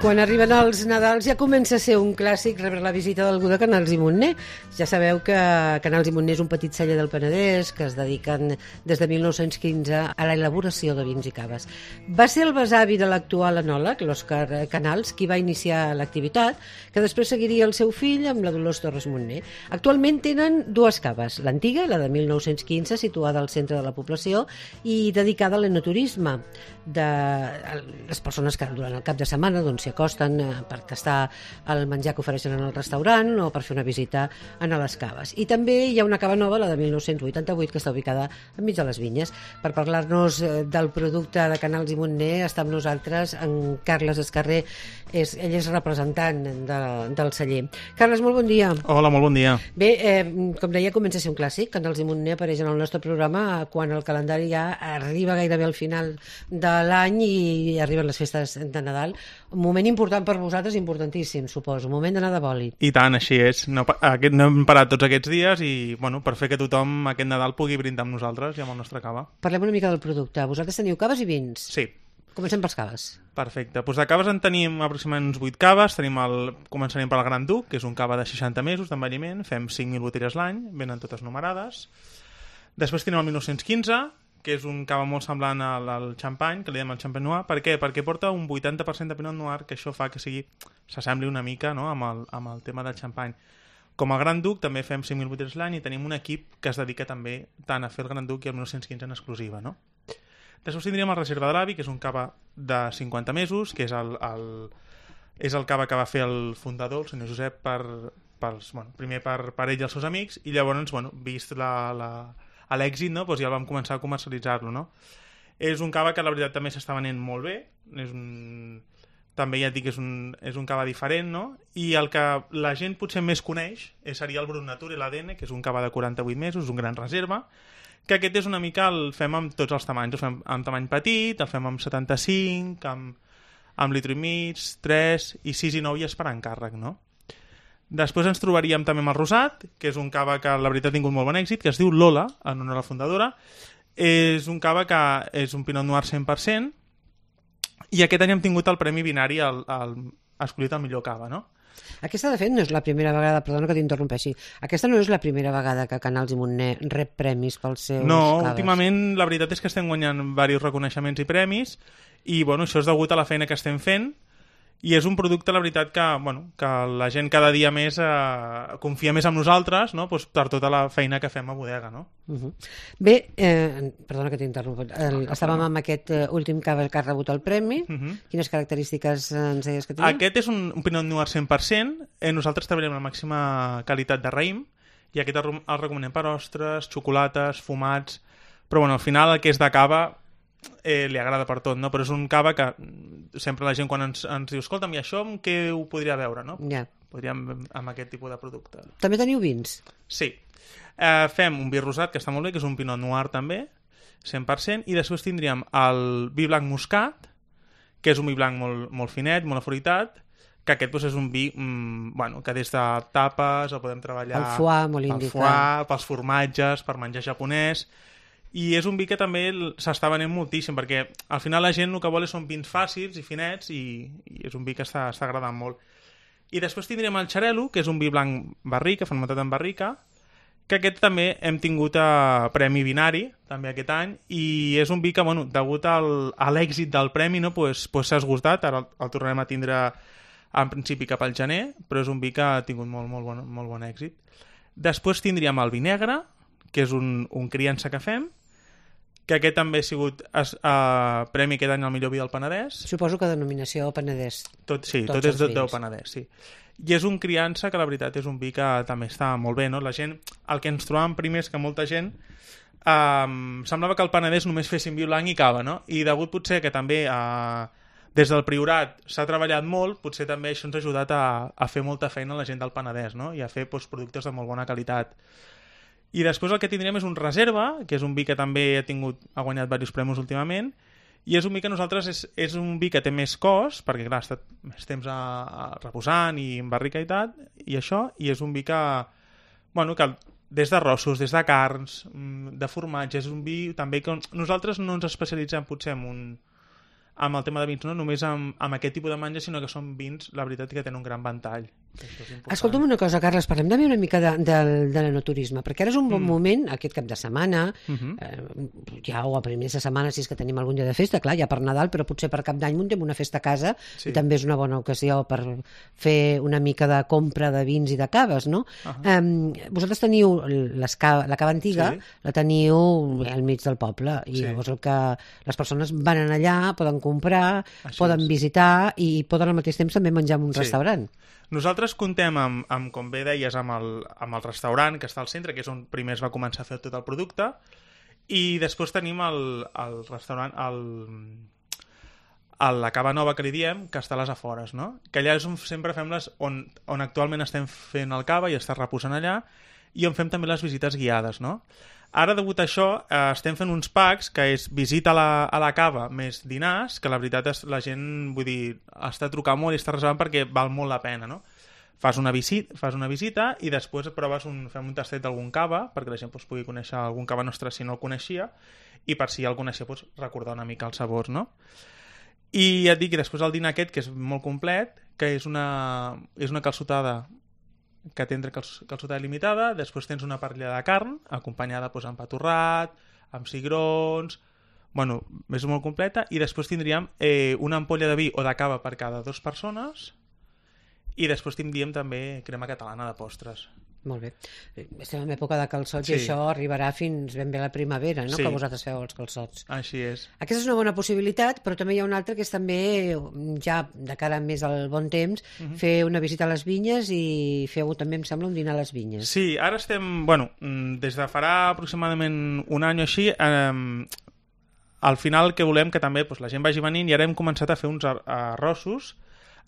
Quan arriben els Nadals ja comença a ser un clàssic rebre la visita d'algú de Canals i Montner. Ja sabeu que Canals i Montner és un petit celler del Penedès que es dediquen des de 1915 a la elaboració de vins i caves. Va ser el besavi de l'actual enòleg, l'Òscar Canals, qui va iniciar l'activitat, que després seguiria el seu fill amb la Dolors Torres Montner. Actualment tenen dues caves, l'antiga, la de 1915, situada al centre de la població i dedicada a l'enoturisme, de les persones que durant el cap de setmana s'hi acosten per tastar el menjar que ofereixen en el restaurant o per fer una visita a les caves. I també hi ha una cava nova, la de 1988, que està ubicada enmig de les vinyes. Per parlar-nos del producte de Canals i Montner està amb nosaltres en Carles Escarré. Ell és representant del celler. Carles, molt bon dia. Hola, molt bon dia. Bé, com deia, comença a ser un clàssic. Canals i Montner apareix en el nostre programa quan el calendari ja arriba gairebé al final de l'any i arriben les festes de Nadal. Un moment important per vosaltres, importantíssim, suposo. Un moment d'anar de bòlit. I tant, així és. No hem parat tots aquests dies i, per fer que tothom aquest Nadal pugui brindar amb nosaltres i amb el nostre cava. Parlem una mica del producte. Vosaltres teniu caves i vins? Sí. Comencem pels caves. Perfecte. Doncs de caves en tenim aproximadament uns 8 caves. Començarem per el Gran Duc, que és un cava de 60 mesos d'envelliment. Fem 5.000 botelles l'any, venen totes numerades. Després tenim el 1915, que és un cava molt semblant al xampany, que li diem el Champagne Noir. Per què? Perquè porta un 80% de Pinot Noir, que això fa que s'assembli una mica, no?, amb el tema del xampany. Com a Gran Duc també fem 5.000 botelles l'any i tenim un equip que es dedica també tant a fer el Gran Duc i el 1915 en exclusiva, no? Després tindríem el Reserva de l'Avi, que és un cava de 50 mesos, que és el cava que va fer el fundador, el senyor Josep, primer per ell i els seus amics, i llavors, vist l'èxit, no? Ja el vam començar a comercialitzar-lo, no? És un cava que la veritat també s'està venent molt bé, també ja et dic que és un cava diferent, no? I el que la gent potser més coneix seria el Brut Nature i l'ADN, que és un cava de 48 mesos, un gran reserva, que aquest és una mica, el fem amb tots els tamanys, el fem amb tamany petit, el fem amb 75, amb litro i mig, 3 i 6 i 9 ja és per encàrrec, no? Després ens trobaríem també amb el Rosat, que és un cava que la veritat ha tingut molt bon èxit, que es diu Lola, en honor a la fundadora. És un cava que és un Pinot Noir 100%, i aquest any hem tingut el Premi Binari escollit el millor cava, no? Aquesta, de fet, no és la primera vegada, perdona que t'interrompeixi, aquesta no és la primera vegada que Canals i Montner rep premis pels seus caves. Últimament la veritat és que estem guanyant diversos reconeixements i premis, i això és degut a la feina que estem fent, i és un producte, la veritat, que la gent cada dia més confia més en nosaltres, no? Per tota la feina que fem a bodega, no? Bé, perdona que t'interrompo, estàvem amb aquest últim cava que ha rebut el premi. Quines característiques ens deies que tenia? Aquest és un Pinot Noir 100%, nosaltres treballem la màxima qualitat de raïm, i aquest el recomanem per ostres, xocolates, fumats, però al final el que és de cava li agrada per tot, no? Però és un cava que sempre la gent quan ens diu escolta'm, i això amb què ho podria veure, no? Ja. Podríem amb aquest tipus de producte. També teniu vins? Sí. Fem un vi rosat, que està molt bé, que és un Pinot Noir també, 100%, i després tindríem el vi blanc muscat, que és un vi blanc molt finet, molt afruitat, que aquest és un vi que des de tapes el podem treballar... El foie, molt indicat. El foie, pels formatges, per menjar japonès... I és un vi que també s'està venent moltíssim, perquè al final la gent el que vol són vins fàcils i finets, i és un vi que està agradant molt. I després tindrem el Xarel·lo, que és un vi blanc barrica, fermentat en barrica, que aquest també hem tingut Premi Binari, també aquest any, i és un vi que, degut a l'èxit del premi, s'ha esgotat, ara el tornarem a tindre en principi cap al gener, però és un vi que ha tingut molt bon èxit. Després tindríem el vi negre, que és un criança que fem, que aquest també ha sigut premi aquest any al millor vi del Penedès. Suposo que denominació Penedès. Tot és del Penedès, sí. I és un criança que la veritat és un vi que també està molt bé, no? La gent, el que ens trobàvem primer és que molta gent semblava que al Penedès només fessin vi blanc i cava, no? I degut potser que també des del Priorat s'ha treballat molt, potser també això ens ha ajudat a fer molta feina a la gent del Penedès, no? I a fer productes de molt bona qualitat. I després el que tindrem és un Reserva, que és un vi que també ha guanyat diversos premis últimament, i és un vi que nosaltres és un vi que té més cost, perquè clar, ha estat més temps reposant i en barrica i tal, i això, i és un vi que des d'arrossos, des de carns, de formatge, és un vi també que nosaltres no ens especialitzem potser en amb el tema de vins, no només amb aquest tipus de menjar, sinó que són vins, la veritat, que tenen un gran ventall. Escolta'm una cosa, Carles, parlem també una mica de l'enoturisme, perquè ara és un bon moment, aquest cap de setmana, ja o a primers de setmana, si és que tenim algun dia de festa, clar, ja per Nadal, però potser per Cap d'Any muntem una festa a casa, i també és una bona ocasió per fer una mica de compra de vins i de caves, no? Vosaltres teniu la cava antiga, la teniu al mig del poble, i llavors les persones van allà, poden comprar, poden visitar i poden al mateix temps també menjar en un restaurant. Nosaltres contem amb, com bé deies, amb el restaurant que està al centre, que és on primer es va començar a fer tot el producte, i després tenim el restaurant, la cava nova que li diem, que està a les afores, no? Que allà és on sempre fem on actualment estem fent el cava i està reposant allà, i on fem també les visites guiades, no? Ara, degut a això, estem fent uns packs, que és visita a la cava més dinars, que la veritat és la gent, vull dir, està trucant molt i està reservant perquè val molt la pena, no? Fas una visita i després fem un tastet d'algun cava, perquè la gent pugui conèixer algun cava nostre si no el coneixia, i per si ja el coneixia, recordar una mica els sabors, no? I ja et dic, i després el dinar aquest, que és molt complet, que és una calçotada que té calçotada limitada, després tens una parrilla de carn, acompanyada amb pa torrat, amb cigrons, bueno, és molt completa, i després tindríem una ampolla de vi o de cava per cada 2 persones, i després tindríem també crema catalana de postres. Molt bé. Estem en època de calçots i això arribarà fins ben bé la primavera, no? Que vosaltres feu els calçots. Així és. Aquesta és una bona possibilitat, però també hi ha una altra que és també, ja de cara més al bon temps, fer una visita a les vinyes i feu també, em sembla, un dinar a les vinyes. Sí, ara estem, des de farà aproximadament un any o així, al final que volem que també la gent vagi venint, i ara hem començat a fer uns arrossos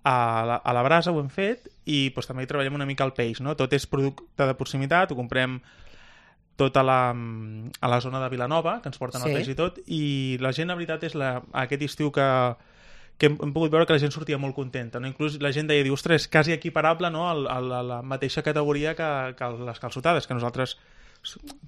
a la brasa, ho hem fet, i també hi treballem una mica el peix, no? Tot és producte de proximitat, ho comprem tot a la zona de Vilanova, que ens porten el peix i tot, i la gent, la veritat, és aquest estiu que hem pogut veure que la gent sortia molt contenta, no? Inclús la gent deia, ostres, quasi equiparable, no? a la mateixa categoria que les calçotades, que nosaltres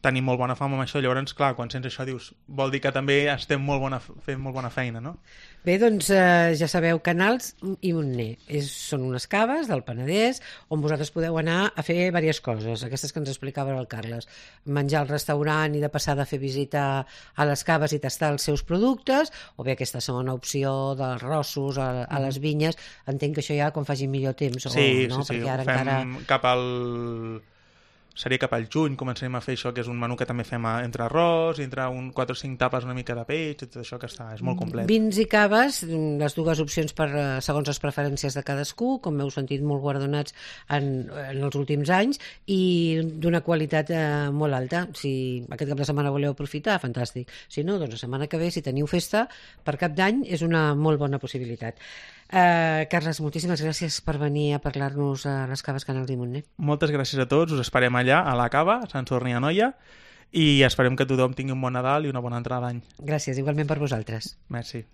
tenim molt bona fama amb això, llavors, clar, quan sents això dius, vol dir que també estem fent molt bona feina, no? Bé, doncs ja sabeu, Canals i Montner són unes caves del Penedès on vosaltres podeu anar a fer diverses coses, aquestes que ens explicava el Carles, menjar al restaurant i de passada a fer visita a les caves i tastar els seus productes, o bé aquesta segona opció dels rossos a les vinyes. Entenc que això ja quan faci millor temps, sí, no? Sí, perquè ara ho fem encara... cap al... Seria cap al juny, començarem a fer això, que és un menú que també fem entre arròs, entre 4 o 5 tapes, una mica de peix, tot això que és molt complet. Vins i caves, les dues opcions segons les preferències de cadascú, com heu sentit, molt guardonats en els últims anys, i d'una qualitat molt alta. Si aquest cap de setmana voleu aprofitar, fantàstic. Si no, doncs la setmana que ve, si teniu festa, per Cap d'Any és una molt bona possibilitat. Carles, moltíssimes gràcies per venir a parlar-nos a les caves Canals i Montner. Moltes gràcies a tots, us esperem allà a la cava, a Sant Sadurní d'Anoia, i esperem que tothom tingui un bon Nadal i una bona entrada d'any. Gràcies, igualment per vosaltres. Merci.